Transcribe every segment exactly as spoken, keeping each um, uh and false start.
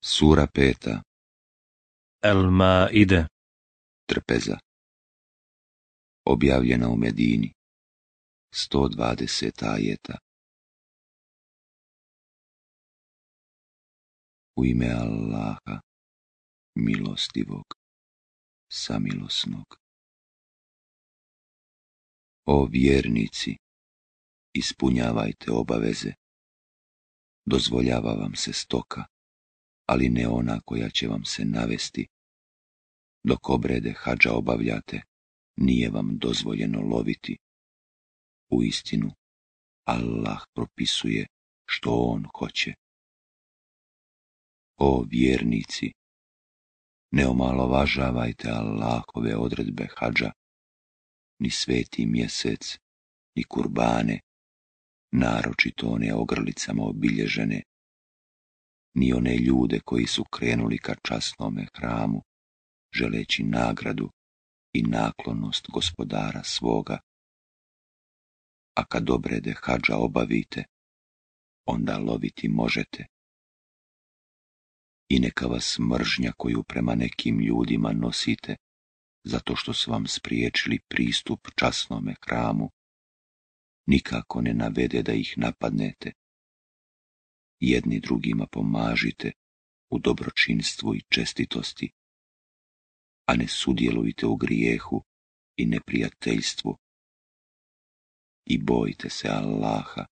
Sura peta. El-Maide. Trpeza. Objavljena u Medini. sto dvadeset ajeta. U ime Allaha, milostivog, samilosnog. O vjernici, ispunjavajte obaveze. Dozvoljava vam se stoka, ali ne ona koja će vam se navesti. Dok obrede hadža obavljate, nije vam dozvoljeno loviti. Uistinu, Allah propisuje što on hoće. O vjernici, ne omalovažavajte Allahove odredbe hadža, ni sveti mjesec, ni kurbane, naročito one ogrlicama obilježene, ni one ljude koji su krenuli ka časnome hramu, želeći nagradu i naklonost gospodara svoga. A kad obrede hadža obavite, onda loviti možete. I neka vas mržnja koju prema nekim ljudima nosite, zato što su vam spriječili pristup časnome hramu, nikako ne navede da ih napadnete. Jedni drugima pomažite u dobročinstvu i čestitosti, a ne sudjelujte u grijehu i neprijateljstvu. I bojte se Allaha,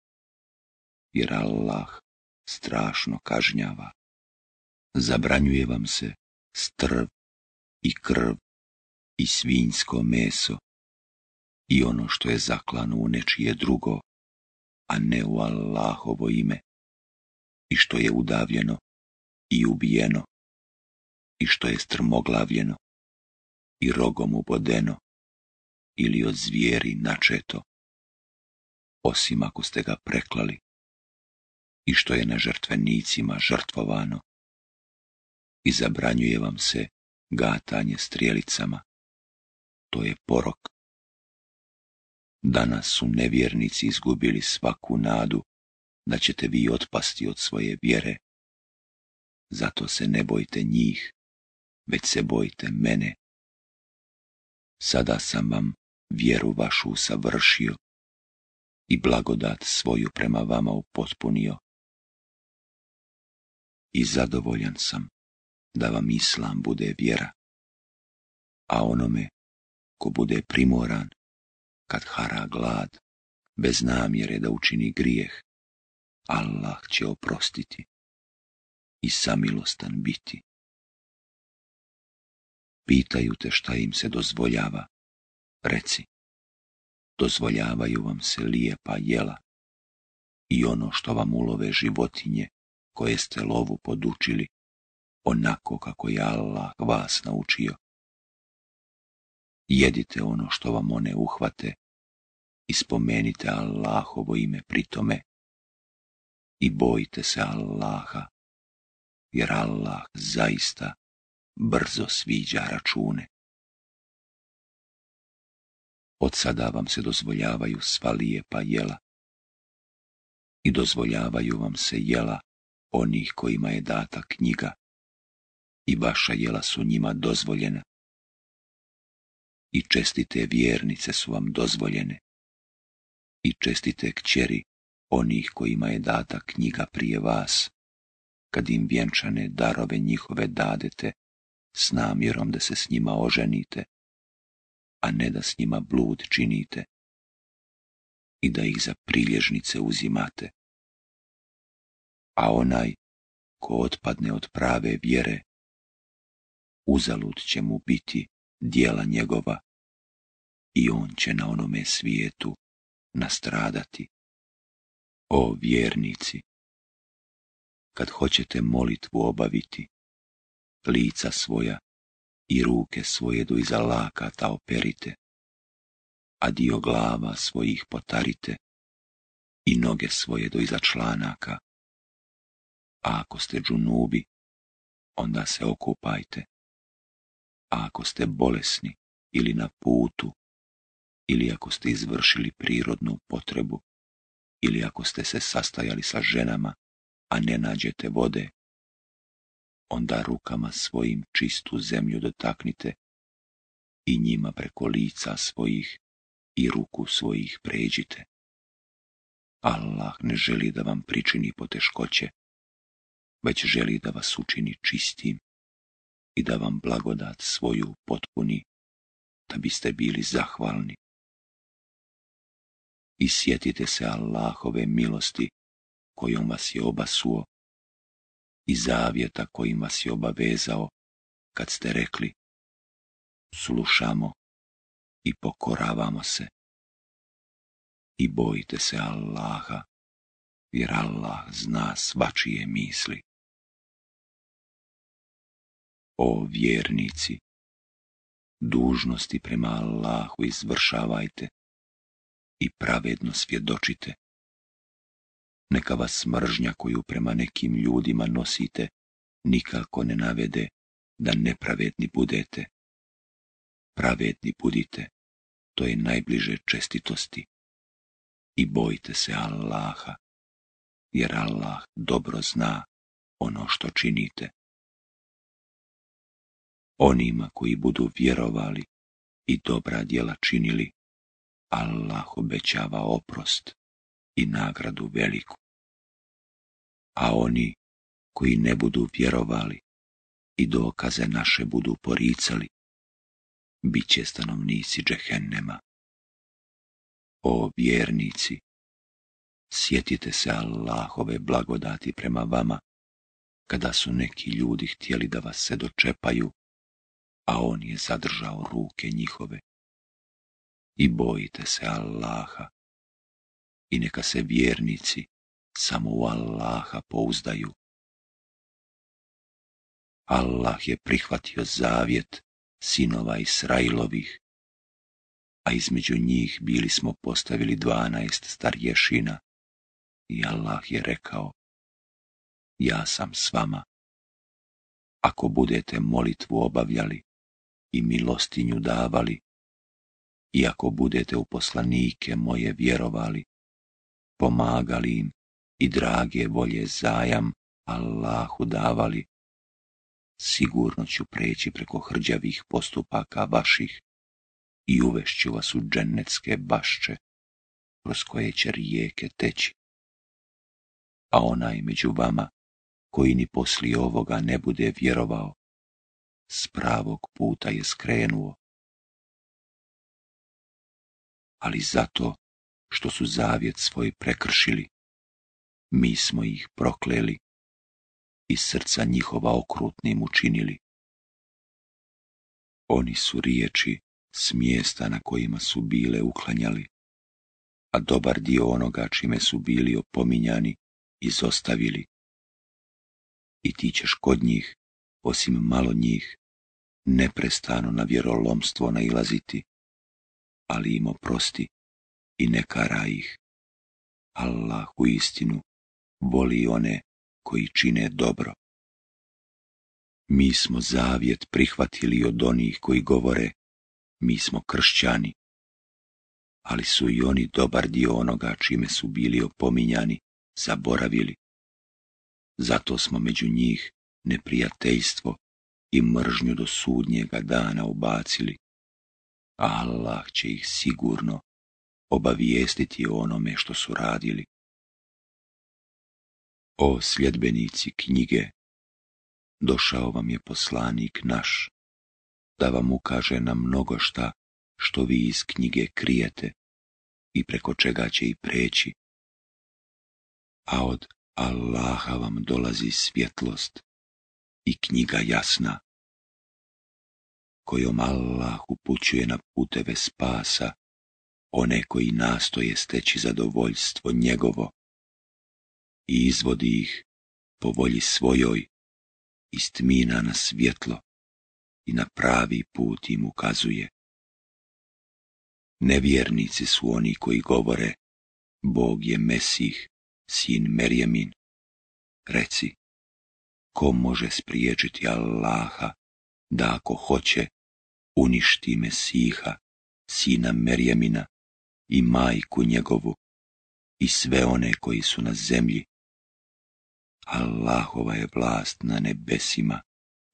jer Allah strašno kažnjava. Zabranjuje vam se strv i krv i svinjsko meso i ono što je zaklano u nečije drugo, a ne u Allahovo ime, i što je udavljeno i ubijeno, i što je strmoglavljeno i rogom ubodeno ili od zvijeri načeto, osim ako ste ga preklali, i što je na žrtvenicima žrtvovano. I zabranjuje vam se gatanje strijelicama, to je porok. Danas su nevjernici izgubili svaku nadu da ćete vi otpasti od svoje vjere. Zato se ne bojte njih, već se bojte mene. Sada sam vam vjeru vašu usavršio i blagodat svoju prema vama upotpunio. I zadovoljan sam da vam Islam bude vjera, a onome ko bude primoran, kad hara glad, bez namjere da učini grijeh, Allah će oprostiti i samilostan biti. Pitaju te šta im se dozvoljava, reci, dozvoljavaju vam se lijepa jela i ono što vam ulove životinje koje ste lovu podučili, onako kako je Allah vas naučio. Jedite ono što vam one uhvate i spomenite Allahovo ime pri tome i bojte se Allaha, jer Allah zaista brzo sviđa račune. Od sada vam se dozvoljavaju sva lijepa jela i dozvoljavaju vam se jela onih kojima je data knjiga i vaša jela su njima dozvoljena. I čestite vjernice su vam dozvoljene i čestite kćeri onih kojima je data knjiga prije vas, kad im vjenčane darove njihove dadete s namjerom da se s njima oženite, a ne da s njima blud činite i da ih za prilježnice uzimate. A onaj ko otpadne od prave vjere, uzalud će mu biti djela njegova i on će na onome svijetu nastradati. O vjernici, kad hoćete molitvu obaviti, lica svoja i ruke svoje do iza lakata operite, a dio glava svojih potarite i noge svoje do iza članaka. A ako ste džunubi, onda se okupajte. A ako ste bolesni ili na putu, ili ako ste izvršili prirodnu potrebu, ili ako ste se sastajali sa ženama, a ne nađete vode, onda rukama svojim čistu zemlju dotaknite i njima preko lica svojih i ruku svojih pređite. Allah ne želi da vam pričini poteškoće, već želi da vas učini čistim i da vam blagodat svoju potpuni, da biste bili zahvalni. I sjetite se Allahove milosti kojom vas je obasuo i zavjeta kojim vas je obavezao kad ste rekli: slušamo i pokoravamo se. I bojite se Allaha, jer Allah zna svačije misli. O vjernici, dužnosti prema Allahu izvršavajte i pravedno svjedočite. Neka vas mržnja koju prema nekim ljudima nosite nikako ne navede da nepravedni budete. Pravedni budite, to je najbliže čestitosti. I bojte se Allaha, jer Allah dobro zna ono što činite. Onima koji budu vjerovali i dobra djela činili, Allah obećava oprost i nagradu veliku. A oni koji ne budu vjerovali i dokaze naše budu poricali, bit će stanovnici džehennema. O vjernici, sjetite se Allahove blagodati prema vama, kada su neki ljudi htjeli da vas se dočepaju, a on je zadržao ruke njihove. I bojite se Allaha, i neka se vjernici samo u Allaha pouzdaju. Allah je prihvatio zavjet sinova Israilovih, a između njih bili smo postavili dvanaest starješina, i Allah je rekao: ja sam s vama. Ako budete molitvu obavljali i milostinju davali, i ako budete u poslanike moje vjerovali, pomagali im i drage volje zajam Allahu davali, sigurno ću preći preko hrđavih postupaka vaših i uvešću vas u džennetske bašče, kroz koje će rijeke teći. A onaj među vama koji ni poslije ovoga ne bude vjerovao, s pravog puta je skrenuo. Ali zato što su zavjet svoj prekršili, mi smo ih prokleli i srca njihova okrutnim učinili. Oni su riječi s mjesta na kojima su bile uklanjali, a dobar dio onoga čime su bili opominjani izostavili. I ti ćeš kod njih, osim malo njih, neprestano na vjerolomstvo nailaziti, ali im oprosti i ne karaj ih. Allah u istinu voli one koji čine dobro. Mi smo zavjet prihvatili od onih koji govore: mi smo kršćani, ali su i oni dobar dio onoga čime su bili opominjani zaboravili. Zato smo među njih neprijateljstvo i mržnju do sudnjega dana ubacili, a Allah će ih sigurno obavijestiti o onome što su radili. O sljedbenici knjige, došao vam je poslanik naš, da vam ukaže na mnogo šta što vi iz knjige krijete i preko čega će i preći. A od Allaha vam dolazi svjetlost i knjiga jasna, kojom Allah upućuje na puteve spasa one koji nastoje steći zadovoljstvo njegovo i izvodi ih po volji svojoj iz tmina na svjetlo i na pravi put im ukazuje. Nevjernici su oni koji govore: Bog je Mesih, sin Merjemin. Reci, ko može spriječiti Allaha da ako hoće uništi Mesiha, sina Merjemina, i majku njegovu i sve one koji su na zemlji? Allahova je vlast na nebesima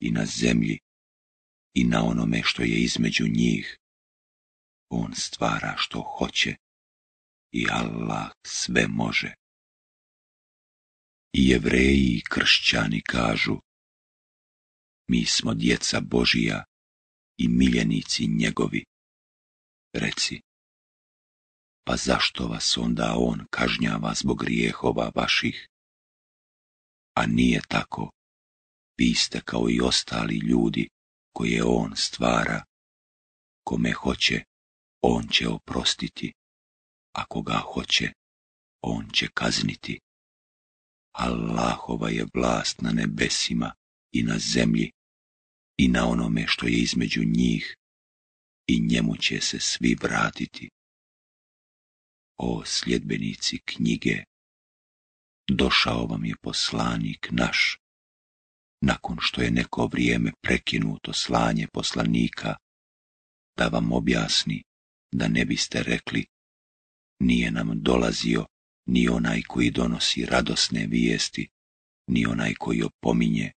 i na zemlji i na onome što je između njih. On stvara što hoće i Allah sve može. I Jevreji i kršćani kažu: mi smo djeca Božija i miljenici njegovi. Reci: pa zašto vas onda on kažnjava zbog grijehova vaših? A nije tako. Vi ste kao i ostali ljudi koje on stvara. Kome hoće, on će oprostiti, a koga hoće, on će kazniti. Allahova je vlast na nebesima i na zemlji i na onome što je između njih, i njemu će se svi vratiti. O sljedbenici knjige, došao vam je poslanik naš, nakon što je neko vrijeme prekinuto slanje poslanika, da vam objasni da ne biste rekli: nije nam dolazio ni onaj koji donosi radosne vijesti, ni onaj koji opominje.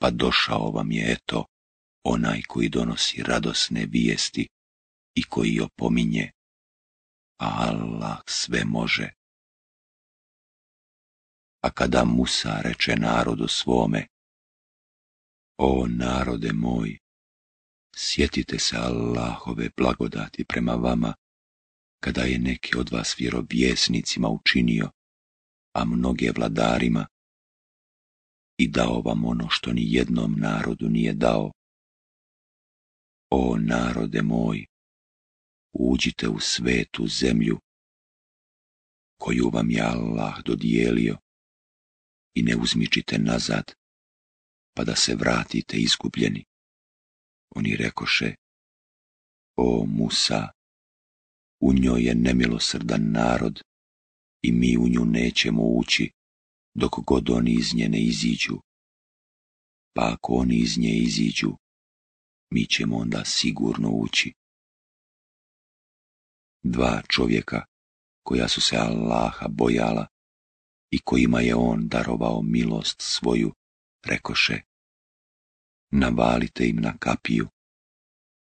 Pa došao vam je, eto, onaj koji donosi radosne vijesti i koji opominje, a Allah sve može. A kada Musa reče narodu svome: o narode moj, sjetite se Allahove blagodati prema vama, kada je neki od vas vjerovjesnicima učinio, a mnoge vladarima, i dao vam ono što ni jednom narodu nije dao. O narode moj, uđite u svetu zemlju koju vam je Allah dodijelio i ne uzmičite nazad, pa da se vratite izgubljeni. Oni rekoše: o Musa, u njoj je nemilosrdan narod i mi u nju nećemo ući dok god oni iz nje ne iziđu. Pa ako oni iz nje iziđu, mi ćemo onda sigurno ući. Dva čovjeka koja su se Allaha bojala i kojima je on darovao milost svoju, rekoše: navalite im na kapiju,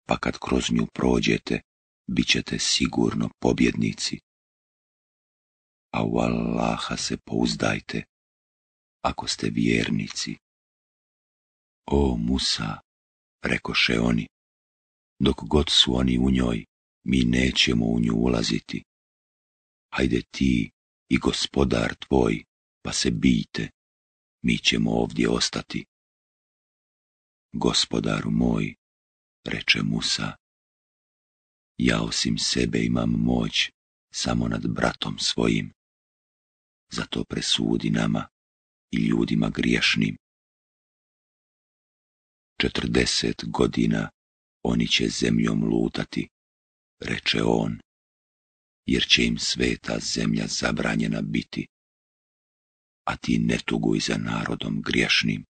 pa kad kroz nju prođete, bit ćete sigurno pobjednici. A u Allaha se pouzdajte, ako ste vjernici. O Musa, rekoše oni, dok god su oni u njoj, mi nećemo u nju ulaziti. Hajde ti i gospodar tvoj, pa se bijte, mi ćemo ovdje ostati. Gospodaru moj, reče Musa, ja osim sebe imam moć samo nad bratom svojim. Zato presudi nama i ljudima griješnim. Četrdeset godina oni će zemljom lutati, reče on, jer će im sveta zemlja zabranjena biti, a ti ne tuguj za narodom griješnim.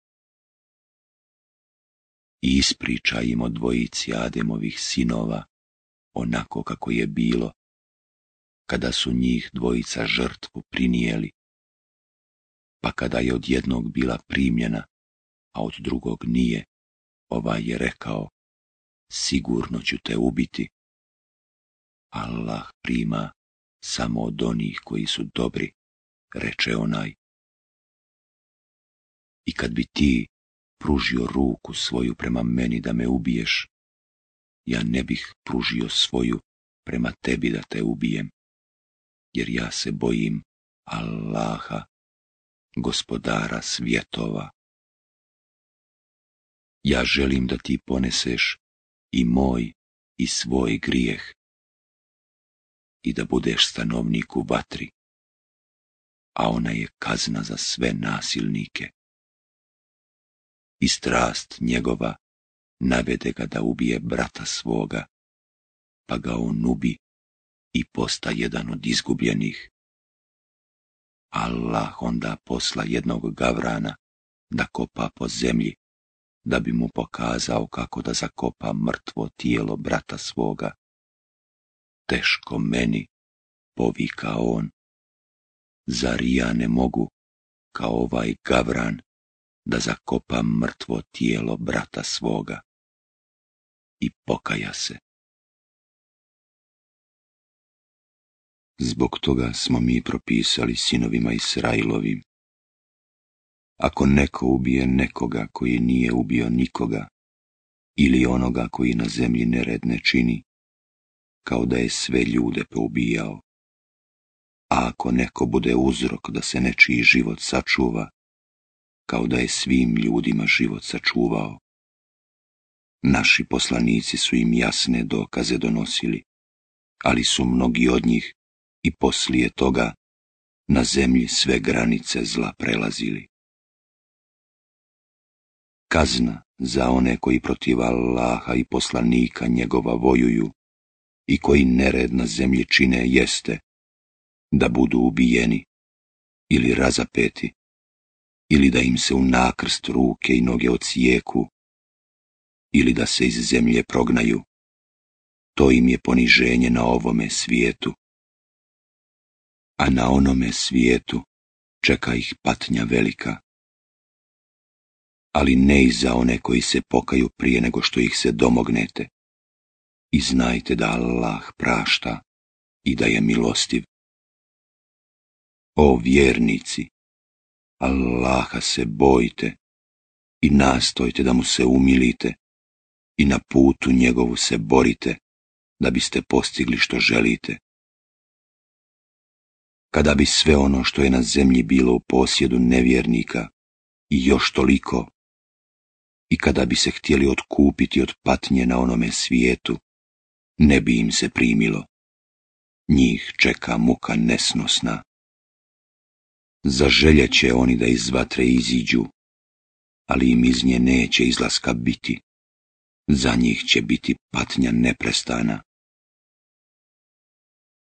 I ispričaj im o dvojici Ademovih sinova, onako kako je bilo, kada su njih dvojica žrtvu prinijeli, pa kada je od jednog bila primljena, a od drugog nije, ovaj je rekao: sigurno ću te ubiti. Allah prima samo od onih koji su dobri, reče onaj. I kad bi ti pružio ruku svoju prema meni da me ubiješ, ja ne bih pružio svoju prema tebi da te ubijem, jer ja se bojim Allaha, gospodara svjetova. Ja želim da ti poneseš i moj i svoj grijeh i da budeš stanovnik u vatri, a ona je kazna za sve nasilnike. I strast njegova navede ga da ubije brata svoga, pa ga on ubi i posta jedan od izgubljenih. Allah onda posla jednog gavrana da kopa po zemlji, da bi mu pokazao kako da zakopa mrtvo tijelo brata svoga. Teško meni, povika on, zar ja ne mogu, kao ovaj gavran, da zakopa mrtvo tijelo brata svoga i pokaja se. Zbog toga smo mi propisali sinovima Israilovim: ako neko ubije nekoga koji nije ubio nikoga, ili onoga koji na zemlji nered ne čini, kao da je sve ljude poubijao, a ako neko bude uzrok da se nečiji život sačuva, kao da je svim ljudima život sačuvao. Naši poslanici su im jasne dokaze donosili, ali su mnogi od njih i poslije toga na zemlji sve granice zla prelazili. Kazna za one koji protiv Allaha i poslanika njegova vojuju i koji nered na zemlji čine jeste da budu ubijeni ili razapeti, ili da im se u nakrst ruke i noge odsijeku, ili da se iz zemlje prognaju. To im je poniženje na ovome svijetu, a na onome svijetu čeka ih patnja velika. Ali ne i za one koji se pokaju prije nego što ih se domognete. I znajte da Allah prašta i da je milostiv. O vjernici, Allaha se bojte i nastojte da mu se umilite i na putu njegovu se borite da biste postigli što želite. Kada bi sve ono što je na zemlji bilo u posjedu nevjernika i još toliko, i kada bi se htjeli otkupiti od patnje na onome svijetu, ne bi im se primilo. Njih čeka muka nesnosna. Zaželjet će oni da iz vatre iziđu, ali im iz nje neće izlaska biti. Za njih će biti patnja neprestana.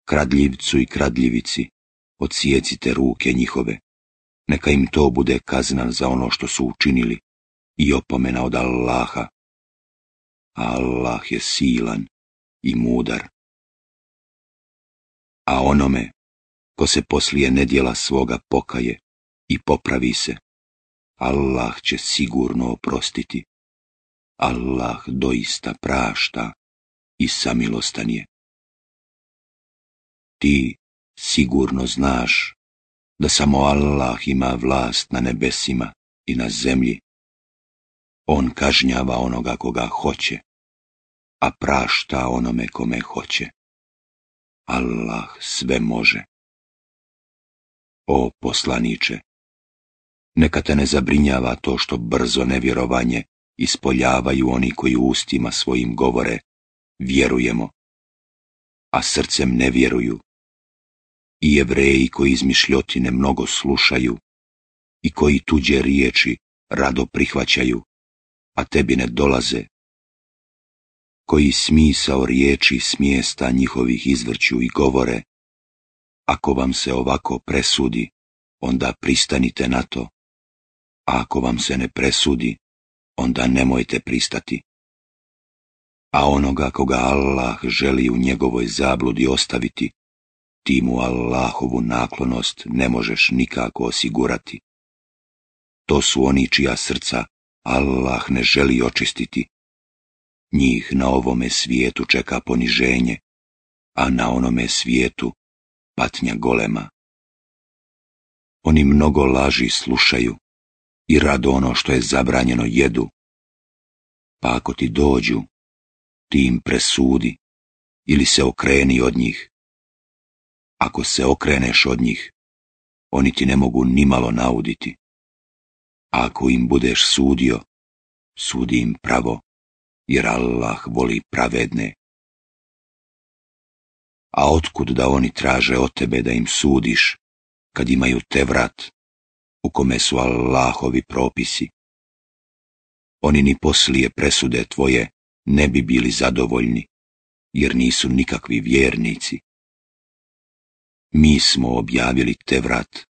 Kradljivcu i kradljivici odsijecite ruke njihove, neka im to bude kazna za ono što su učinili i opomena od Allaha. A Allah je silan i mudar. A onome ko se poslije nedjela svoga pokaje i popravi se, Allah će sigurno oprostiti. Allah doista prašta i samilostan je. Ti sigurno znaš da samo Allah ima vlast na nebesima i na zemlji. On kažnjava onoga koga hoće, a prašta onome kome hoće. Allah sve može. O poslaniče, neka te ne zabrinjava to što brzo nevjerovanje ispoljavaju oni koji ustima svojim govore vjerujemo, a srcem ne vjeruju, i Jevreji koji izmišljotine mnogo slušaju i koji tuđe riječi rado prihvaćaju, a tebi ne dolaze, koji smisao riječi s mjesta njihovih izvrću i govore: ako vam se ovako presudi, onda pristanite na to, a ako vam se ne presudi, onda nemojte pristati. A onoga koga Allah želi u njegovoj zabludi ostaviti, ti mu Allahovu naklonost ne možeš nikako osigurati. To su oni čija srca Allah ne želi očistiti. Njih na ovome svijetu čeka poniženje, a na onome svijetu patnja golema. Oni mnogo laži slušaju i rado ono što je zabranjeno jedu. Pa ako ti dođu, ti im presudi ili se okreni od njih. Ako se okreneš od njih, oni ti ne mogu nimalo nauditi. A ako im budeš sudio, sudi im pravo, jer Allah voli pravedne. A otkud da oni traže od tebe da im sudiš, kad imaju Tevrat, u kome su Allahovi propisi? Oni ni poslije presude tvoje ne bi bili zadovoljni, jer nisu nikakvi vjernici. Mi smo objavili Tevrat,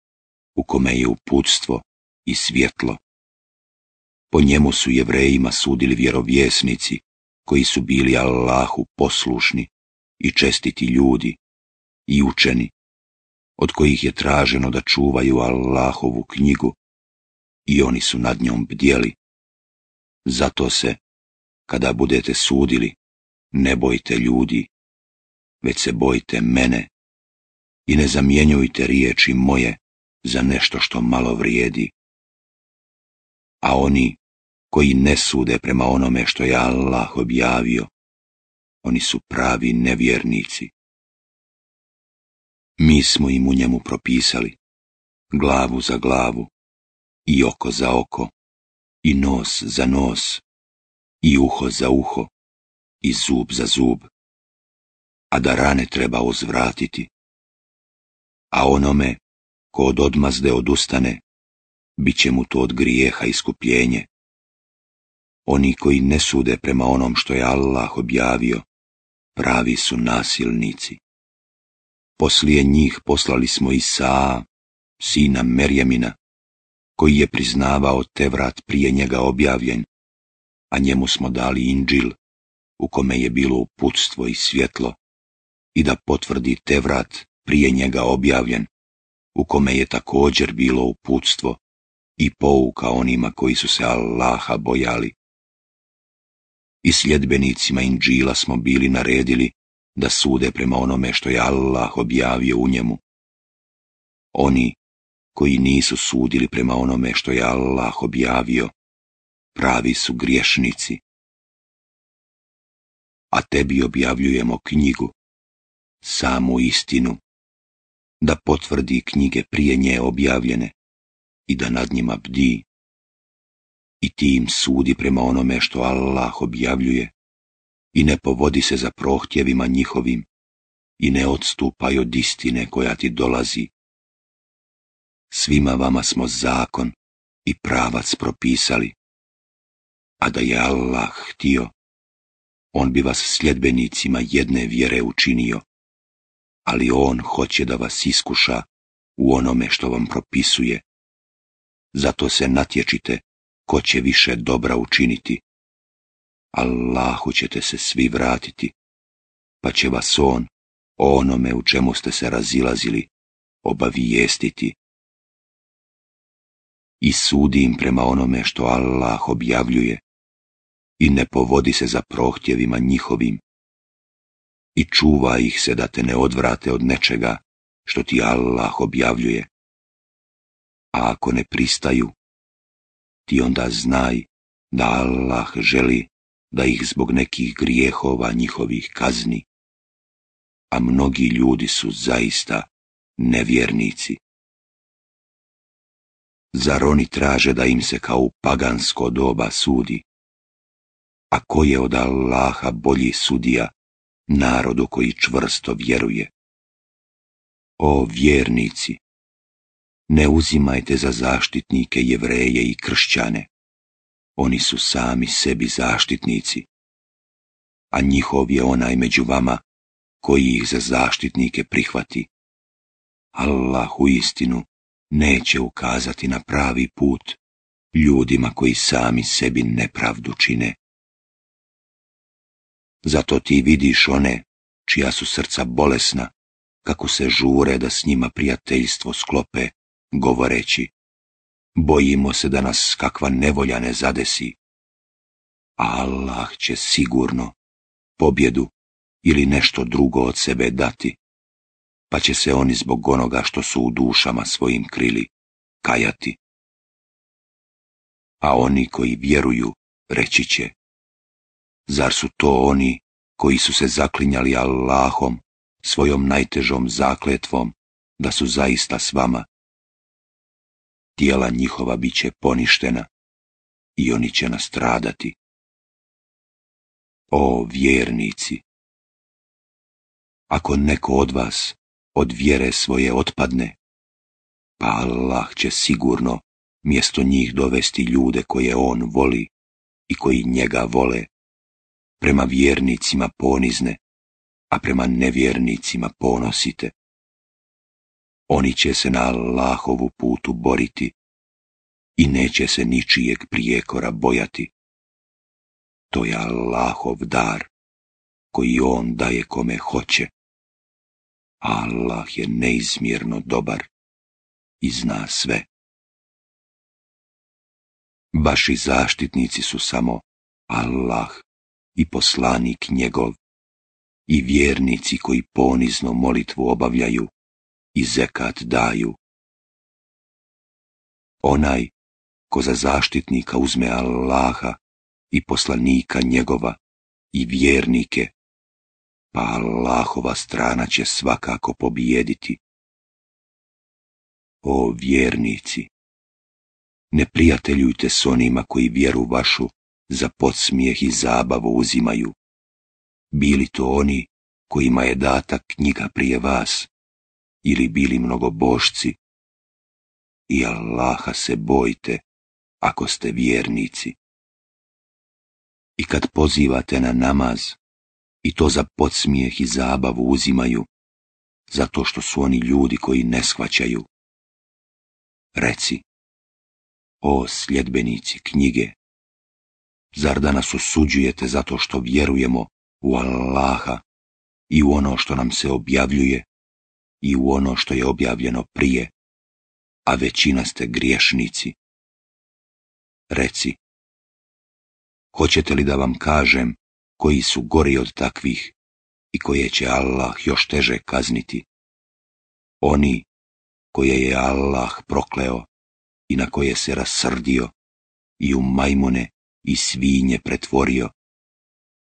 u kome je uputstvo i svjetlo. Po njemu su Jevrejima sudili vjerovjesnici, koji su bili Allahu poslušni i čestiti ljudi i učeni, od kojih je traženo da čuvaju Allahovu knjigu i oni su nad njom bdjeli. Zato se, kada budete sudili, ne bojte ljudi, već se bojte mene i ne zamjenjujte riječi moje za nešto što malo vrijedi. A oni koji ne sude prema onome što je Allah objavio, oni su pravi nevjernici. Mi smo im u njemu propisali glavu za glavu, i oko za oko, i nos za nos, i uho za uho, i zub za zub, a da rane treba uzvratiti. A onome ko od odmazde odustane, bit će mu to od grijeha iskupljenje. Oni koji ne sude prema onom što je Allah objavio, pravi su nasilnici. Poslije njih poslali smo Isaa, sina Merjemina, koji je priznavao Tevrat prije njega objavljen, a njemu smo dali Indžil, u kome je bilo uputstvo i svjetlo, i da potvrdi Tevrat prije njega objavljen, u kome je također bilo uputstvo i pouka onima koji su se Allaha bojali. I sljedbenicima Indžila smo bili naredili da sude prema onome što je Allah objavio u njemu. Oni koji nisu sudili prema onome što je Allah objavio, pravi su griješnici. A tebi objavljujemo knjigu, samu istinu, da potvrdi knjige prije nje objavljene i da nad njima bdi. I ti im sudi prema onome što Allah objavljuje i ne povodi se za prohtjevima njihovim i ne odstupaj od istine koja ti dolazi. Svima vama smo zakon i pravac propisali, a da je Allah htio, on bi vas sljedbenicima jedne vjere učinio, ali on hoće da vas iskuša u onome što vam propisuje. Zato se natječite ko će više dobra učiniti. Allahu ćete se svi vratiti, pa će vas on o onome u čemu ste se razilazili obavijestiti. I sudi im prema onome što Allah objavljuje i ne povodi se za prohtjevima njihovim i čuva ih se da te ne odvrate od nečega što ti Allah objavljuje. A ako ne pristaju, ti onda znaj da Allah želi da ih zbog nekih grijehova njihovih kazni, a mnogi ljudi su zaista nevjernici. Zar oni traže da im se kao u pagansko doba sudi? A ko je od Allaha bolji sudija narodu koji čvrsto vjeruje? O vjernici, ne uzimajte za zaštitnike Jevreje i kršćane, oni su sami sebi zaštitnici, a njihov je onaj među vama koji ih za zaštitnike prihvati. Allah uistinu neće ukazati na pravi put ljudima koji sami sebi nepravdu čine. Zato ti vidiš one čija su srca bolesna, kako se žure da s njima prijateljstvo sklope, govoreći: bojimo se da nas kakva nevolja ne zadesi. A Allah će sigurno pobjedu ili nešto drugo od sebe dati, pa će se oni zbog onoga što su u dušama svojim krili kajati. A oni koji vjeruju reći će: zar su to oni koji su se zaklinjali Allahom, svojom najtežom zakletvom, da su zaista s vama? Tijela njihova bit će poništena i oni će nastradati. O vjernici! Ako neko od vas od vjere svoje otpadne, pa Allah će sigurno mjesto njih dovesti ljude koje on voli i koji njega vole, prema vjernicima ponizne, a prema nevjernicima ponosite. Oni će se na Allahovu putu boriti i neće se ničijeg prijekora bojati. To je Allahov dar, koji on daje kome hoće. Allah je neizmjerno dobar i zna sve. Vaši zaštitnici su samo Allah i poslanik njegov i vjernici koji ponizno molitvu obavljaju i zekat daju. Onaj ko za zaštitnika uzme Allaha i poslanika njegova i vjernike, pa Allahova strana će svakako pobijediti. O vjernici, ne prijateljujte s onima koji vjeru vašu za podsmijeh i zabavu uzimaju, bili to oni kojima je data knjiga prije vas, ili bili mnogobošci, i Allaha se bojte ako ste vjernici. I kad pozivate na namaz, i to za podsmijeh i zabavu uzimaju, zato što su oni ljudi koji ne shvaćaju, reci, o sljedbenici knjige, zar da nas osuđujete zato što vjerujemo u Allaha i u ono što nam se objavljuje i u ono što je objavljeno prije, a većina ste griješnici? Reci, hoćete li da vam kažem koji su gori od takvih i koje će Allah još teže kazniti? Oni koje je Allah prokleo i na koje se rasrdio i u majmune i svinje pretvorio,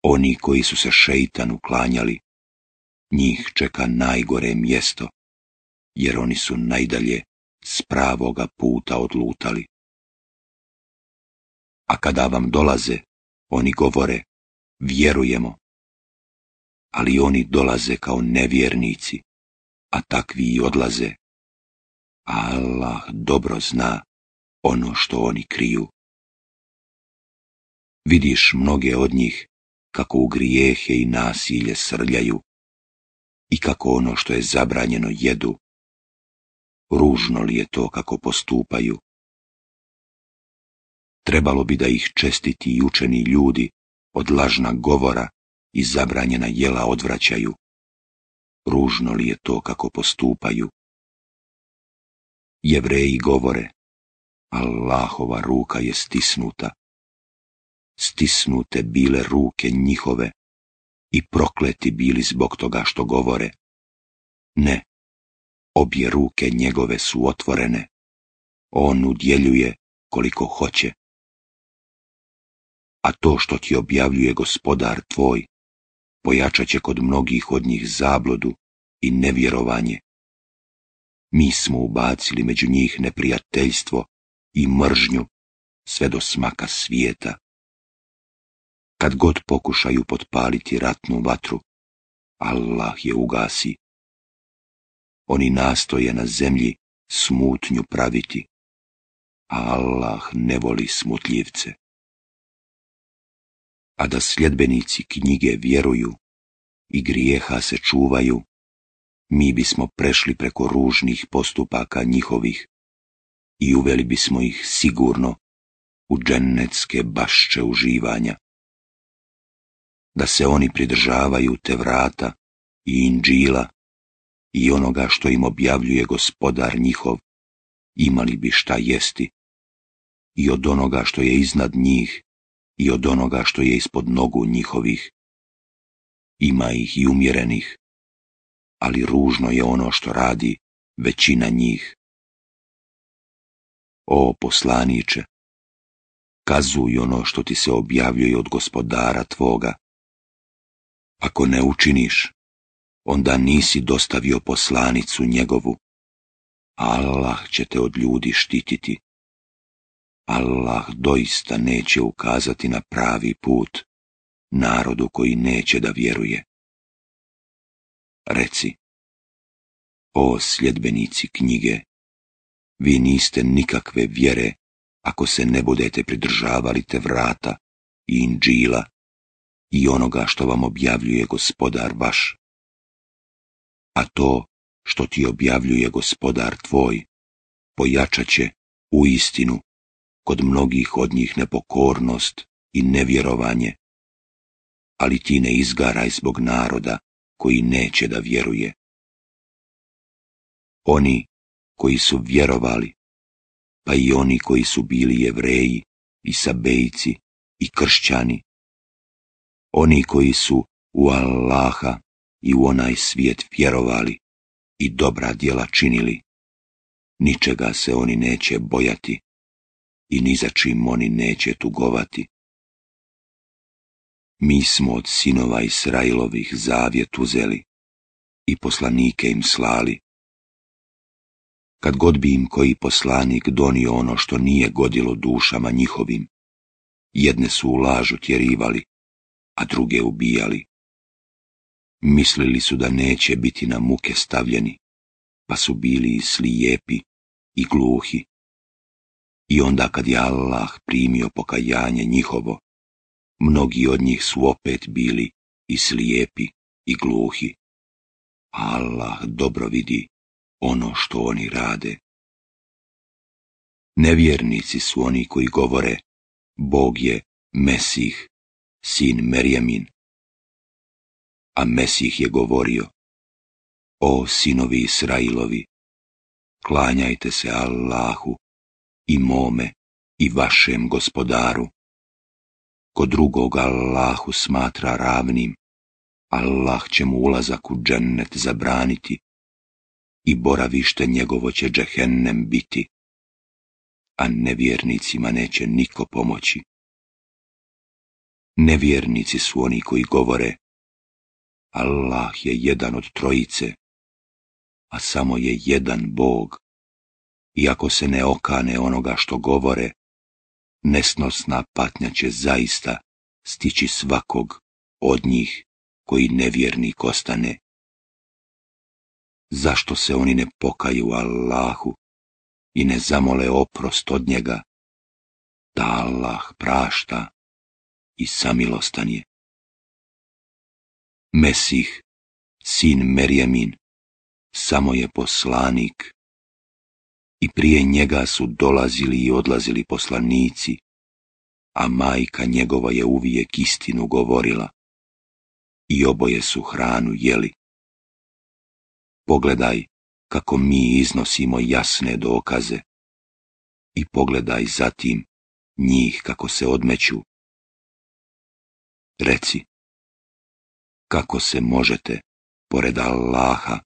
oni koji su se šeitanu klanjali, njih čeka najgore mjesto, jer oni su najdalje s pravoga puta odlutali. A kada vam dolaze, oni govore, vjerujemo, ali oni dolaze kao nevjernici, a takvi i odlaze. A Allah dobro zna ono što oni kriju. Vidiš mnoge od njih kako u grijehe i nasilje srljaju i kako ono što je zabranjeno jedu. Ružno li je to kako postupaju? Trebalo bi da ih čestiti i učeni ljudi od lažna govora i zabranjena jela odvraćaju. Ružno li je to kako postupaju? Jevreji govore, Allahova ruka je stisnuta. Stisnute bile ruke njihove i prokleti bili zbog toga što govore. Ne, obje ruke njegove su otvorene. On udjeljuje koliko hoće. A to što ti objavljuje gospodar tvoj, pojačat će kod mnogih od njih zabludu i nevjerovanje. Mi smo ubacili među njih neprijateljstvo i mržnju sve do smaka svijeta. Kad god pokušaju potpaliti ratnu vatru, Allah je ugasi. Oni nastoje na zemlji smutnju praviti, a Allah ne voli smutljivce. A da sljedbenici knjige vjeruju i grijeha se čuvaju, mi bismo prešli preko ružnih postupaka njihovih i uveli bismo ih sigurno u džennetske bašče uživanja. Da se oni pridržavaju Tevrata i Inđila i onoga što im objavljuje gospodar njihov, imali bi šta jesti, i od onoga što je iznad njih i od onoga što je ispod nogu njihovih. Ima ih i umjerenih, ali ružno je ono što radi većina njih. O poslaniče, kazuj ono što ti se objavljuje od gospodara tvoga. Ako ne učiniš, onda nisi dostavio poslanicu njegovu. Allah će te od ljudi štititi. Allah doista neće ukazati na pravi put narodu koji neće da vjeruje. Reci, o sljedbenici knjige, vi niste nikakve vjere ako se ne budete pridržavali Tevrata i Inđila i onoga što vam objavljuje gospodar vaš. A to što ti objavljuje gospodar tvoj, pojačat će u istinu kod mnogih od njih nepokornost i nevjerovanje, ali ti ne izgaraj zbog naroda koji neće da vjeruje. Oni koji su vjerovali, pa i oni koji su bili Jevreji i sabejci i kršćani, oni koji su u Allaha i u onaj svijet vjerovali i dobra djela činili, ničega se oni neće bojati i ni za čim oni neće tugovati. Mi smo od sinova Israilovih zavjet uzeli i poslanike im slali. Kad god bi im koji poslanik donio ono što nije godilo dušama njihovim, jedne su u lažu tjerivali, a druge ubijali. Mislili su da neće biti na muke stavljeni, pa su bili i slijepi i gluhi. I onda kad je Allah primio pokajanje njihovo, mnogi od njih su opet bili i slijepi i gluhi. Allah dobro vidi ono što oni rade. Nevjernici su oni koji govore: Bog je Mesih, sin Merjemin. A Mesih je govorio: O sinovi Israilovi, klanjajte se Allahu i mome i vašem gospodaru. Ko drugog Allahu smatra ravnim, Allah će mu ulazak u džennet zabraniti i boravište njegovo će džehennem biti, a nevjernicima neće niko pomoći. Nevjernici su oni koji govore: Allah je jedan od trojice, a samo je jedan Bog. I ako se ne okane onoga što govore, nesnosna patnja će zaista stići svakog od njih koji nevjernik ostane. Zašto se oni ne pokaju Allahu i ne zamole oprost od njega, da Allah prašta i samilostan je? Mesih, sin Merjemin, samo je poslanik, i prije njega su dolazili i odlazili poslanici, a majka njegova je uvijek istinu govorila i oboje su hranu jeli. Pogledaj kako mi iznosimo jasne dokaze i pogledaj zatim njih kako se odmeću. Reci, kako se možete, pored Allaha,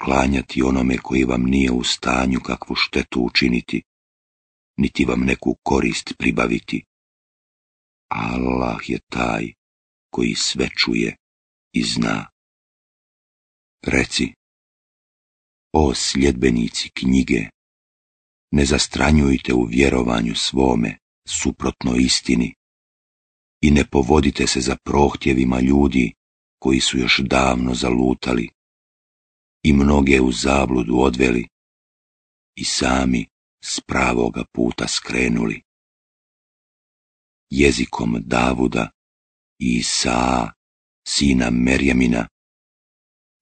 klanjati onome koji vam nije u stanju kakvu štetu učiniti, niti vam neku korist pribaviti? Allah je taj koji sve čuje i zna. Reci, o sljedbenici knjige, ne zastranjujte u vjerovanju svome suprotno istini i ne povodite se za prohtjevima ljudi koji su još davno zalutali i mnoge u zabludu odveli i sami s pravoga puta skrenuli. Jezikom Davuda i Isaa, sina Merjemina,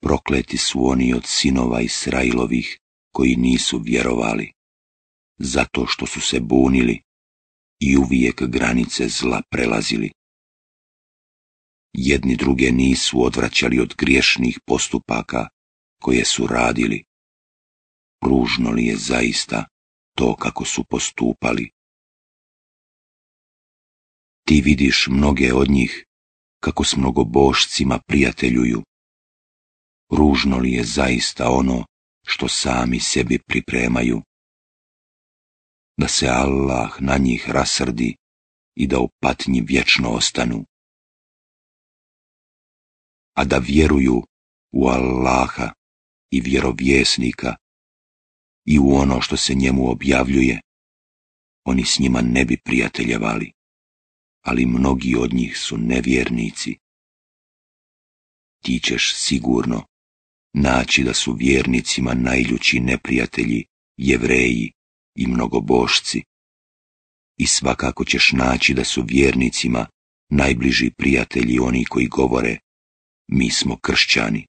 prokleti su oni od sinova Israilovih koji nisu vjerovali, zato što su se bunili i uvijek granice zla prelazili. Jedni druge nisu odvraćali od griješnih postupaka koje su radili. Ružno li je zaista to kako su postupali? Ti vidiš mnoge od njih kako s mnogobošcima prijateljuju. Ružno li je zaista ono što sami sebi pripremaju? Da se Allah na njih rasrdi i da u patnji vječno ostanu. A da vjeruju u Allaha i vjerovjesnika i u ono što se njemu objavljuje, oni s njima ne bi prijateljevali, ali mnogi od njih su nevjernici. Ti ćeš sigurno naći da su vjernicima najljući neprijatelji Jevreji i mnogobošci, i svakako ćeš naći da su vjernicima najbliži prijatelji oni koji govore: mi smo kršćani,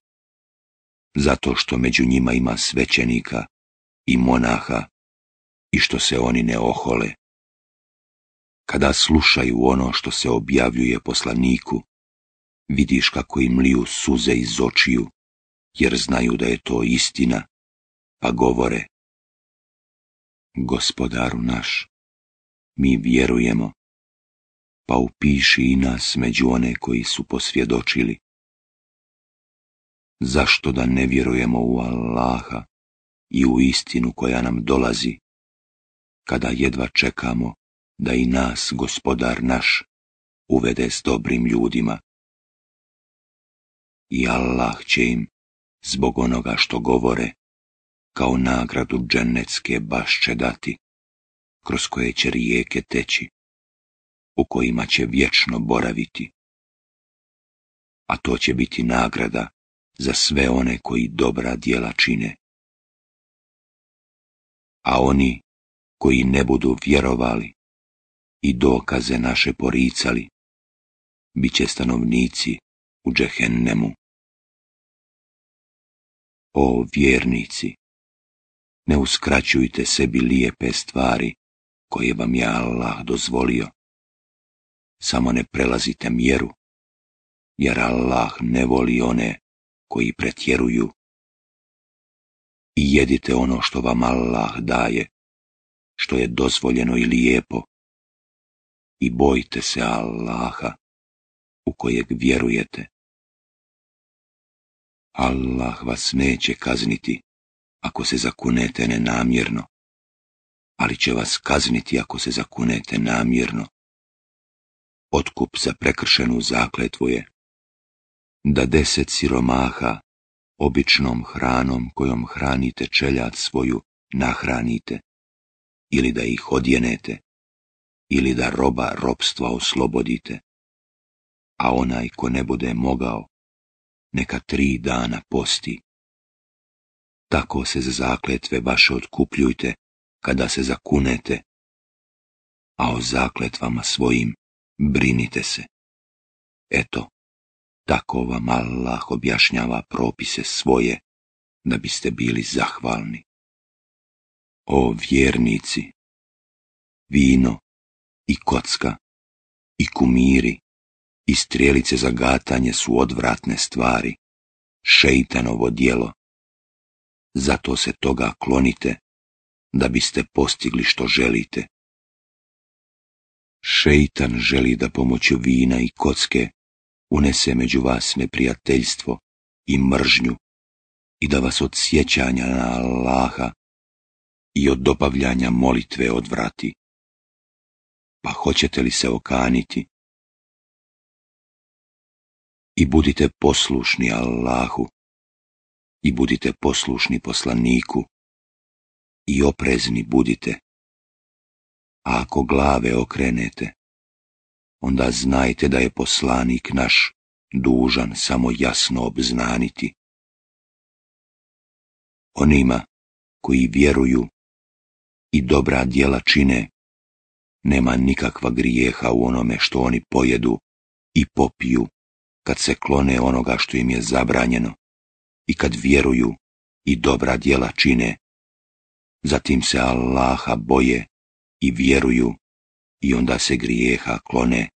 zato što među njima ima svećenika i monaha i što se oni ne ohole. Kada slušaju ono što se objavljuje poslaniku, vidiš kako im liju suze iz očiju, jer znaju da je to istina, pa govore: Gospodaru naš, mi vjerujemo, pa upiši i nas među one koji su posvjedočili. Zašto da ne vjerujemo u Allaha i u istinu koja nam dolazi, kada jedva čekamo da i nas Gospodar naš uvede s dobrim ljudima? I Allah će im, zbog onoga što govore, kao nagradu džennetske bašče dati, kroz koje će rijeke teći, u kojima će vječno boraviti. A to će biti nagrada za sve one koji dobra djela čine. A oni koji ne budu vjerovali i dokaze naše poricali, bit će stanovnici u džehennemu. O vjernici, ne uskraćujte sebi lijepe stvari koje vam je Allah dozvolio. Samo ne prelazite mjeru, jer Allah ne voli one koji pretjeruju. I jedite ono što vam Allah daje, što je dozvoljeno i lijepo. I bojte se Allaha, u kojeg vjerujete. Allah vas neće kazniti ako se zakunete nenamjerno, ali će vas kazniti ako se zakunete namjerno. Otkup za prekršenu zakletvu je da deset siromaha običnom hranom kojom hranite čeljad svoju nahranite, ili da ih odjenete, ili da roba robstva oslobodite, a onaj ko ne bude mogao, neka tri dana posti. Tako se za zakletve vaše otkupljujte kada se zakunete, a o zakletvama svojim brinite se. Eto, tako vam Allah objašnjava propise svoje, da biste bili zahvalni. O vjernici, vino i kocka i kumiri i strijelice za gatanje su odvratne stvari, šeitanovo djelo. Zato se toga klonite, da biste postigli što želite. Šeitan želi da pomoću vina i kocke unese među vas neprijateljstvo i mržnju i da vas od sjećanja na Allaha i od dobavljanja molitve odvrati. Pa hoćete li se okaniti? I budite poslušni Allahu, i budite poslušni poslaniku, i oprezni budite. A ako glave okrenete, onda znajte da je poslanik naš dužan samo jasno obznaniti. Onima koji vjeruju i dobra djela čine, nema nikakva grijeha u onome što oni pojedu i popiju, kad se klone onoga što im je zabranjeno, i kad vjeruju i dobra djela čine, zatim se Allaha boje i vjeruju, i onda se grijeha klone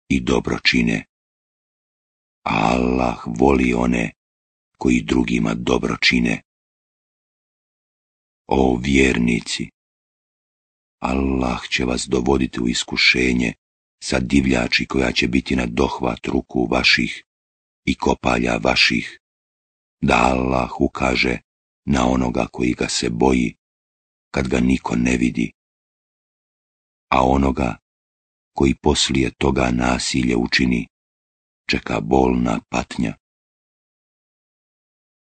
i dobro čine. A Allah voli one koji drugima dobro čine. O vjernici, Allah će vas dovoditi u iskušenje sa divljači koja će biti na dohvat ruku vaših i kopalja vaših, da Allah ukaže na onoga koji ga se boji, kad ga niko ne vidi, a onoga koji poslije toga nasilje učini, čeka bolna patnja.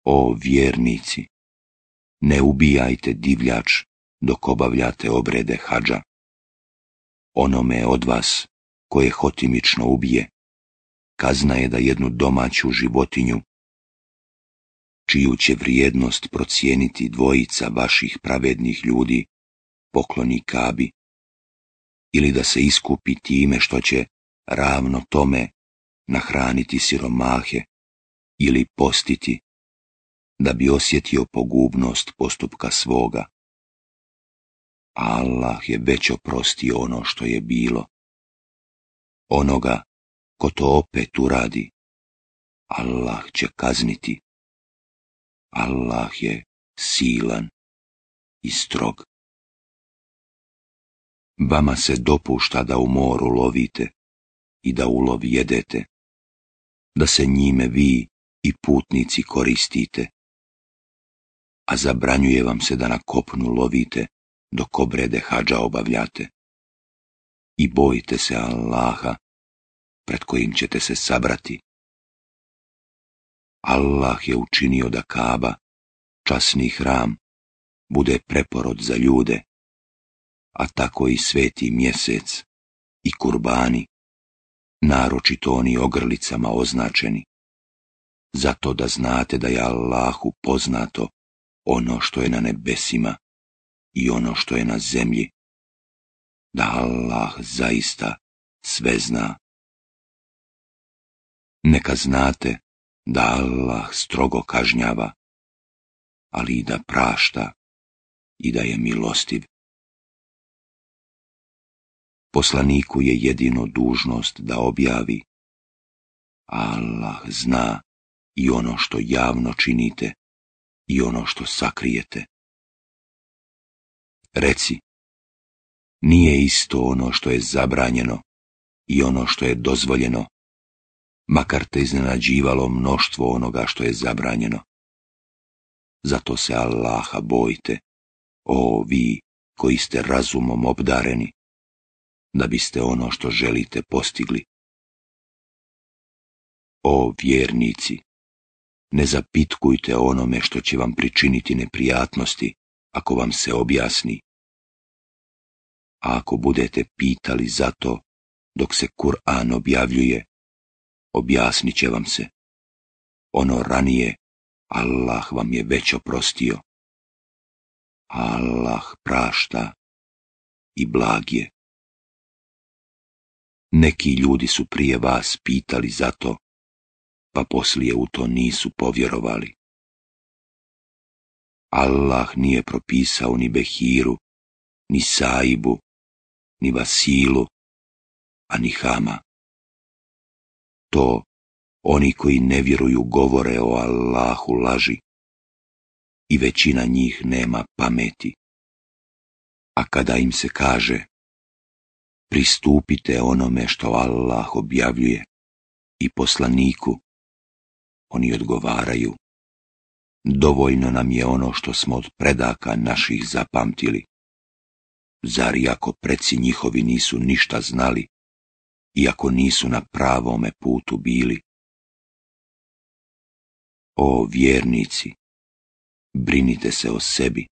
O vjernici, ne ubijajte divljač dok obavljate obrede hadža. Onome od vas koje hotimično ubije, kazna je da jednu domaću životinju, čiju će vrijednost procijeniti dvojica vaših pravednih ljudi, pokloni Kabi, ili da se iskupi time što će ravno tome nahraniti siromahe ili postiti, da bi osjetio pogubnost postupka svoga. Allah je već oprostio ono što je bilo. Onoga ko to opet uradi, Allah će kazniti. Allah je silan i strog. Vama se dopušta da u moru lovite i da ulov jedete, da se njime vi i putnici koristite, a zabranjuje vam se da na kopnu lovite dok obrede hadža obavljate. I bojite se Allaha, pred kojim ćete se sabrati. Allah je učinio da Kaba, časni hram, bude preporod za ljude, a tako i sveti mjesec i kurbani, naročito oni ogrlicama označeni, zato da znate da je Allahu poznato ono što je na nebesima i ono što je na zemlji, da Allah zaista sve zna. Neka znate da Allah strogo kažnjava, ali i da prašta i da je milostiv. Poslaniku je jedino dužnost da objavi, a Allah zna i ono što javno činite i ono što sakrijete. Reci, nije isto ono što je zabranjeno i ono što je dozvoljeno, makar te iznenađivalo mnoštvo onoga što je zabranjeno. Zato se Allaha bojte, o vi koji ste razumom obdareni, da biste ono što želite postigli. O vjernici, ne zapitkujte onome što će vam pričiniti neprijatnosti, ako vam se objasni. A ako budete pitali za to, dok se Kur'an objavljuje, objasnit će vam se. Ono ranije, Allah vam je već oprostio. Allah prašta i blag je. Neki ljudi su prije vas pitali za to, pa poslije u to nisu povjerovali. Allah nije propisao ni Behiru, ni Saibu, ni Vasilu, a ni Hama. To oni koji ne vjeruju govore o Allahu laži i većina njih nema pameti. A kada im se kaže, pristupite onome što Allah objavljuje i poslaniku, oni odgovaraju, dovoljno nam je ono što smo od predaka naših zapamtili. Zar i ako preci njihovi nisu ništa znali, iako nisu na pravome putu bili? O vjernici, brinite se o sebi.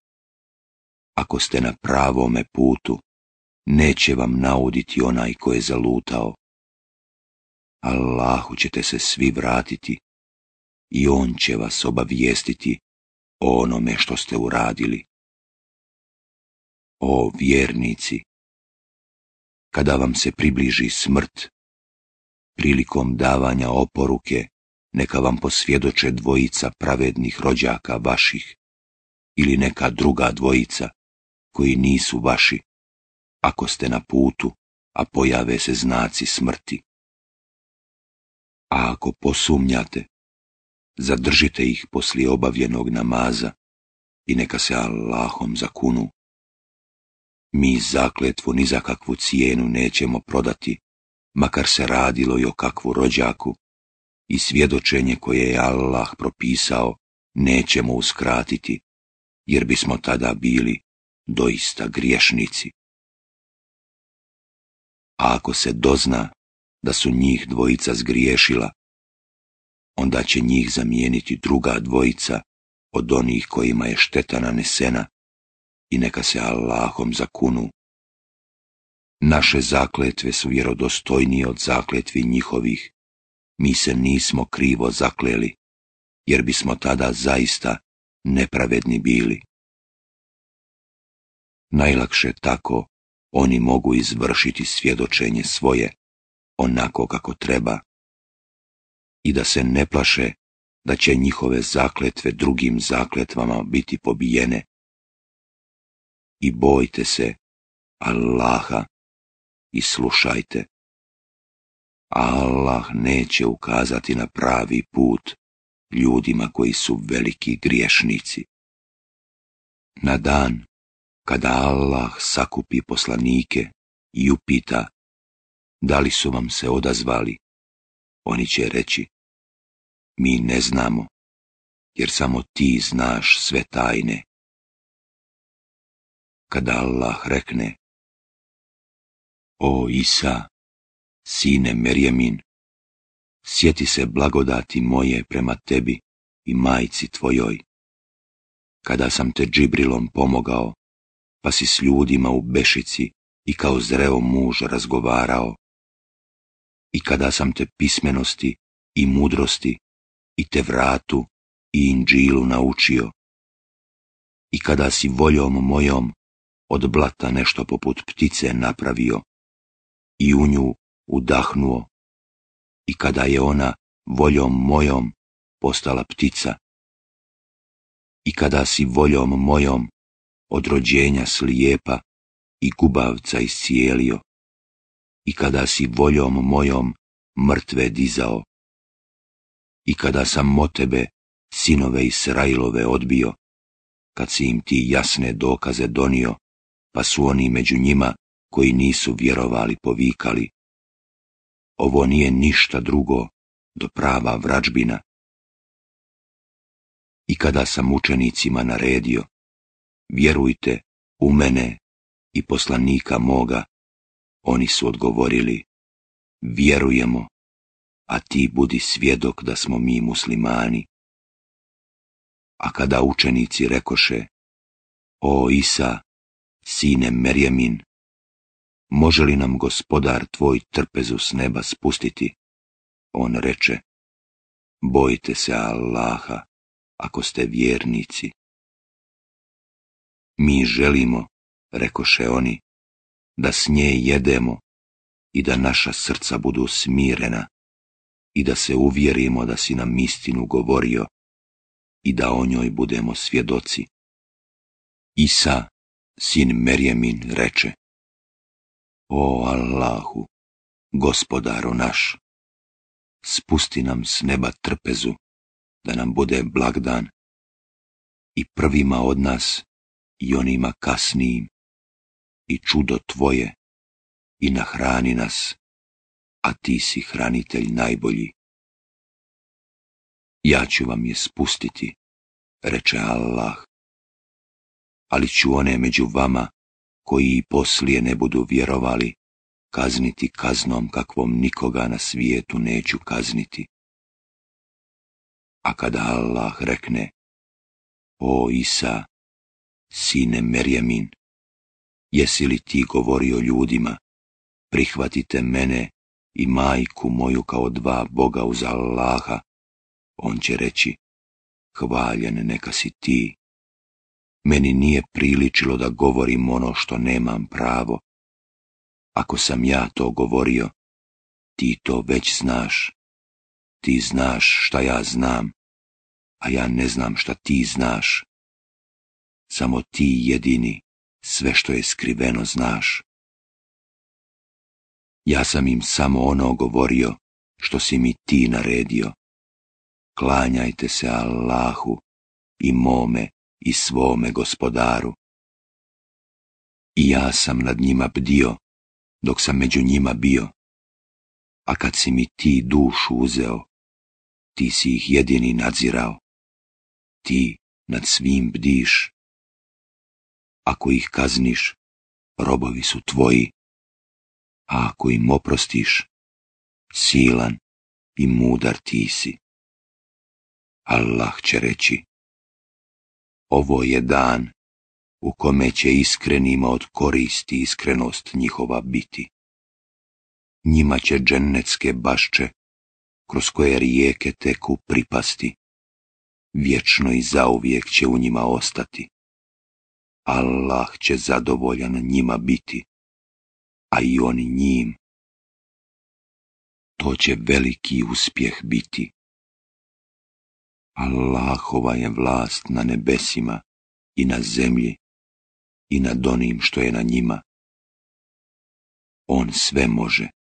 Ako ste na pravome putu, neće vam nauditi onaj ko je zalutao. Allahu ćete se svi vratiti i on će vas obavijestiti o onome što ste uradili. O vjernici, kada vam se približi smrt, prilikom davanja oporuke, neka vam posvjedoče dvojica pravednih rođaka vaših ili neka druga dvojica koji nisu vaši, ako ste na putu, a pojave se znaci smrti. A ako posumnjate, zadržite ih poslije obavljenog namaza i neka se Allahom zakunu. Mi zakletvu ni za kakvu cijenu nećemo prodati, makar se radilo i o kakvu rođaku, i svjedočenje koje je Allah propisao nećemo uskratiti, jer bismo tada bili doista griješnici. A ako se dozna da su njih dvojica zgriješila, onda će njih zamijeniti druga dvojica od onih kojima je šteta nanesena i neka se Allahom zakunu. Naše zakletve su vjerodostojnije od zakletvi njihovih. Mi se nismo krivo zakleli, jer bismo tada zaista nepravedni bili. Najlakše tako oni mogu izvršiti svjedočenje svoje, onako kako treba, i da se ne plaše da će njihove zakletve drugim zakletvama biti pobijene. I bojte se Allaha i slušajte. Allah neće ukazati na pravi put ljudima koji su veliki griješnici. Na dan Kada Allah sakupi poslanike i upita da li su vam se odazvali, oni će reći: mi ne znamo, jer samo ti znaš sve tajne. Kada Allah rekne: o Isa, sine Merjemin, sjeti se blagodati moje prema tebi i majci tvojoj, kada sam te Džibrilom pomogao, pa si s ljudima u bešici i kao zreo muž razgovarao, i kada sam te pismenosti i mudrosti i Tevratu i Inđilu naučio, i kada si voljom mojom od blata nešto poput ptice napravio i u nju udahnuo, i kada je ona voljom mojom postala ptica, i kada si voljom mojom od rođenja slijepa i gubavca iscijelio, i kada si voljom mojom mrtve dizao, i kada sam o tebe sinove Israilove odbio, kad si im ti jasne dokaze donio, pa su oni među njima koji nisu vjerovali povikali: ovo nije ništa drugo do prava vrađbina. I kada sam učenicima naredio: vjerujte u mene i poslanika moga, oni su odgovorili: vjerujemo, a ti budi svjedok da smo mi muslimani. A kada učenici rekoše: o Isa, sine Merjemin, može li nam gospodar tvoj trpezu s neba spustiti? On reče: bojte se Allaha, ako ste vjernici. Mi želimo, rekoše oni, da s nje jedemo i da naša srca budu smirena i da se uvjerimo da si nam istinu govorio i da o njoj budemo svjedoci. Isa, sin Merjemin, reče: o Allahu, gospodaru naš, spusti nam s neba trpezu, da nam bude blagdan, i prvima od nas i onima kasnijim, i čudo tvoje, i nahrani nas, a ti si hranitelj najbolji. Ja ću vam je spustiti, reče Allah, ali ću one među vama koji i poslije ne budu vjerovali kazniti kaznom kakvom nikoga na svijetu neću kazniti. A kada Allah rekne: o Isa, sine Merjemin, jesi li ti govorio ljudima: prihvatite mene i majku moju kao dva Boga uz Allaha, on će reći: hvaljen neka si ti. Meni nije priličilo da govorim ono što nemam pravo. Ako sam ja to govorio, ti to već znaš. Ti znaš šta ja znam, a ja ne znam šta ti znaš. Samo ti jedini sve što je skriveno znaš. Ja sam im samo ono govorio što si mi ti naredio: klanjajte se Allahu i mome i svome gospodaru. I ja sam nad njima bdio dok sam među njima bio, a kad si mi ti dušu uzeo, ti si ih jedini nadzirao. Ti nad svim bdiš. Ako ih kazniš, robovi su tvoji, a ako im oprostiš, silan i mudar ti si. Allah će reći: ovo je dan u kome će iskrenima od koristi iskrenost njihova biti. Njima će džennetske bašče, kroz koje rijeke teku, pripasti. Vječno i zauvijek će u njima ostati. Allah će zadovoljan njima biti, a i oni njim. To će veliki uspjeh biti. Allahova je vlast na nebesima i na zemlji i nad onim što je na njima. On sve može.